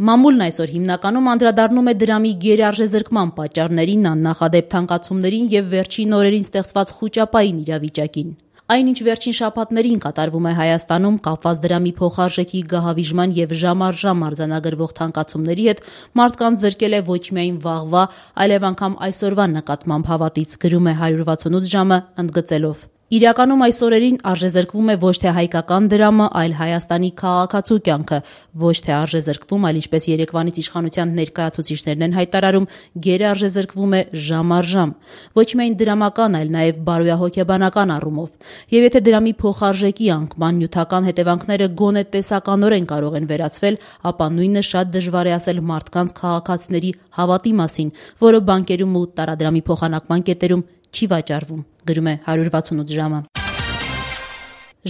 Մամուլն այսօր հիմնականում անդրադառնում է դրամի գերարժեզրկման պատճառներին, աննախադեպ թանկացումներին եւ վերջին օրերին ստեղծված խուճապային իրավիճակին։ Այնինչ վերջին շաբաթներին կատարվում է Հայաստանում կապված դրամի փոխարժեքի գահավիժման եւ ժամ առ ժամ արձանագրվող թանկացումների հետ, մարդկանց զրկել է ոչ միայն վաղվա, այլև անգամ այսօրվա նկատմամբ հավատից, գրում է 168 ժամը ընդգծելով. Իրականում այս օրերին արժեզրկվում է ոչ թե հայկական դրամը, այլ Հայաստանի քաղաքացու կյանքը, ոչ թե արժեզրկվում, այլ ինչպես երեկվանից իշխանության ներկայացուցիչներն են հայտարարում, գերարժեզրկվում է ժամ առ ժամ, ոչ միայն դրամական, այլ նաև բարոյահոգեբանական առումով։ Եվ եթե դրամի փոխարժեքի անկման նյութական հետևանքները գոնե տեսականորեն կարող են վերացվել, ապա նույնը շատ դժվար է ասել մարդկանց քաղաքացիների հավատի մասին, որը բանկերում ու տարադրամի փոխանակման կետերում չի վաճառվում, գրում է 168 ժամը։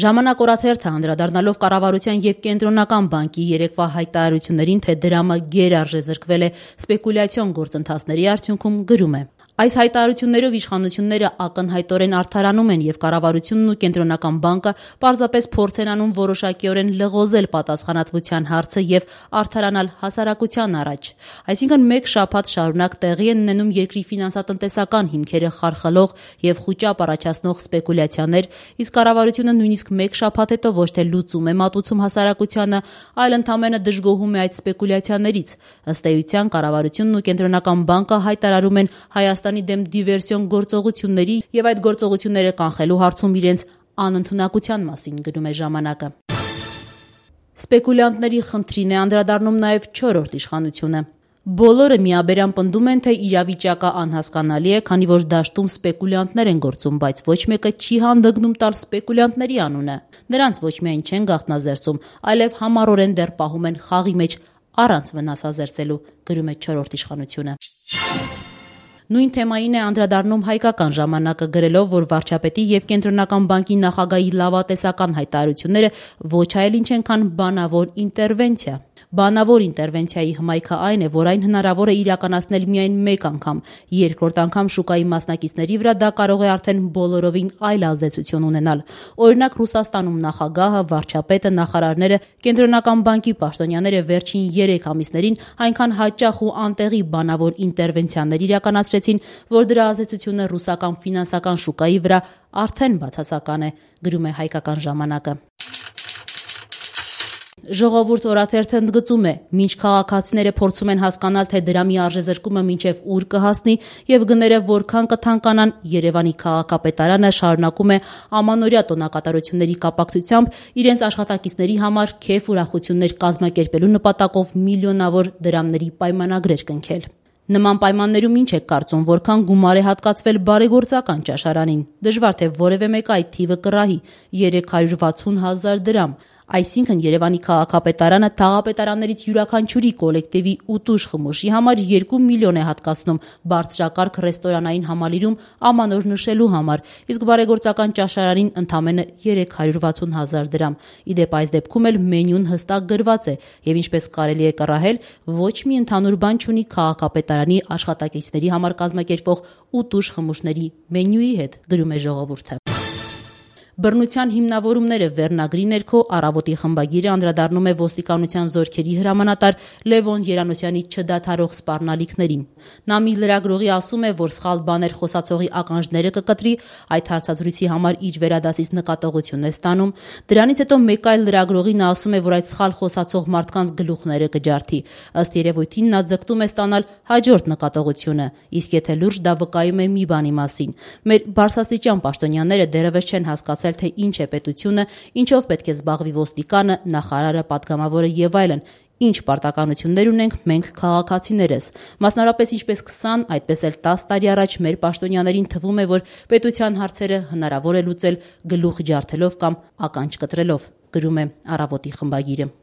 Ժամանակ օրաթերթը անդրադառնալով կառավարության եւ կենտրոնական բանկի երեկվա հայտարարություններին, թե դրամը գերարժեզրկվել է սպեկուլյացիոն գործընթացների արդյունքում, գրում է. Այս հայտարարություններով իշխանությունները ակնհայտորեն արդարանում են եւ կառավարությունն ու կենտրոնական բանկը պարզապես փորձ են անում որոշակիորեն լղոզել պատասխանատվության հարցը եւ արդարանալ հասարակության առաջ։ Այսինքն մեկ շաբաթ շարունակ տեղի են ունենում երկրի ֆինանսատնտեսական հիմքերը խարխլող եւ խուճապ առաջացնող սպեկուլյացիաներ, իսկ կառավարությունը նույնիսկ մեկ շաբաթ հետո ոչ թե լուծում է մատուցում հասարակությանը, այլ ընդամենը դժգոհում է այդ սպեկուլյացիաներից։ Ըստ էության կառավարությունն ու կենտրոնական բանկը հայտարարում են Հայաստանի դեմ դիվերսիոն գործողությունների եւ այդ գործողությունները կանխելու հարցում իրենց անընդունակության մասին, գրում է ժամանակը։ Սպեկուլյանտների խնդրին է անդրադառնում նաեւ 4-րդ իշխանությունը։ Բոլորը միաբերան պնդում են, թե իրավիճակը անհասկանալի է, քանի որ դաշտում սպեկուլյանտներ են գործում, բայց ոչ մեկը չի հանդգնում տալ սպեկուլյանտների անունը։ Նրանց ոչ միայն չեն գաղտնազերծում, այլև համառորեն դեռ պահում են խաղի մեջ առանց վնասազերծելու, գրում է 4-րդ իշխանությունը։ Նույն թեմային է անդրադառնում հայկական ժամանակը, գրելով, որ վարչապետի եւ կենտրոնական բանկի նախագահի լավատեսական հայտարարությունները ոչ այլ ինչ են, քան բանավոր ինտերվենցիա։ Բանավոր ինտերվենցիայի հմայքը այն է, որ այն հնարավոր է իրականացնել միայն մեկ անգամ, երկրորդ անգամ շուկայի մասնակիցների վրա դա կարող է արդեն բոլորովին այլ ազդեցություն ունենալ։ Օրինակ Ռուսաստանում նախագահը, վարչապետը, նախարարները, կենտրոնական բանկի պաշտոնյաները վերջին 3 ամիսներին այնքան հաճախ ու անտեղի բանավոր ինտերվենցիաներ իրականացրեցին, որ դրա ազդեցությունը ռուսական ֆինանսական շուկայի վրա արդեն բացասական է, գրում է հայկական ժամանակը։ Ժողովուրդ օրաթերթը ընդգծում է, մինչ քաղաքացիները փորձում են հասկանալ, թե դրամի արժեզրկումը մինչև ուր կհասնի եւ գները որքան կթանկանան, Երևանի քաղաքապետարանը շարունակում է ամանորյա տոնակատարությունների կապակցությամբ իրենց աշխատակիցների համար քեֆ ուրախություններ կազմակերպելու նպատակով միլիոնավոր դրամների պայմանագրեր կնքել։ Նման պայմաններում ինչ եք կարծում, որքան գումար է հատկացվել բարեգործական ճաշարանին։ Դժվար թե որևէ մեկ այդ թիվը կռահի 360,000 դրամ։ Այսինքն Երևանի քաղաքապետարանը թաղապետարաններից յուրաքանչյուրի կոլեկտիվի ուտուշ խմուշի համար 2 միլիոն է հատկացնում բարձրակարգ ռեստորանային համալիրում ամանոր նշելու համար, իսկ բարեգործական ճաշարանին ընդամենը 360,000 դրամ։ Իդեպ այս դեպքում էլ մենյուն հստակ գրված է եւ ինչպես կարելի է կռահել, ոչ մի ընդհանուր բան չունի քաղաքապետարանի աշխատակիցների համար կազմակերպվող ուտուշ խմուշների մենյուի հետ, գրում է ժողովուրդը։ Բռնության հիմնավորումները վերնագրի ներքո Առավոտի խմբագիրը անդրադառնում է ոստիկանության զորքերի հրամանատար Լևոն Երանոսյանի չդադարող սպառնալիքներին։ Նա մի լրագրողի ասում է, որ սխալ բաներ խոսացողի ականջները կկտրի, այդ հարցազրույցի համար իր վերադասից նկատողություն է ստանում։ Դրանից հետո մեկ այլ լրագրողի նա ասում է, որ այդ սխալ խոսացող մարդկանց գլուխները կջարդի։ Ըստ երևույթին նա ձգտում է ստանալ հաջորդ նկատողությունը, իսկ եթե լուրջ դա վկայում է մի բանի մասին։ Մեր բարձրաստիճան պաշտոնյաները դեռևս չեն հասկացել, թե ինչ է պետությունը, ինչով պետք է զբաղվի ոստիկանը, նախարարը, պատգամավորը եւ այլն, ինչ պարտականություններ ունենք մենք քաղաքացիներս։ Մասնավորապես ինչպես 20, այդպես էլ 10 տարի առաջ մեր պաշտոնյաներին թվում է, որ պետության հարցերը հնարավոր է լուծել գլուխ ջարդելով կամ ականջ կտրելով, գրում է Առավոտի խմբագիրը։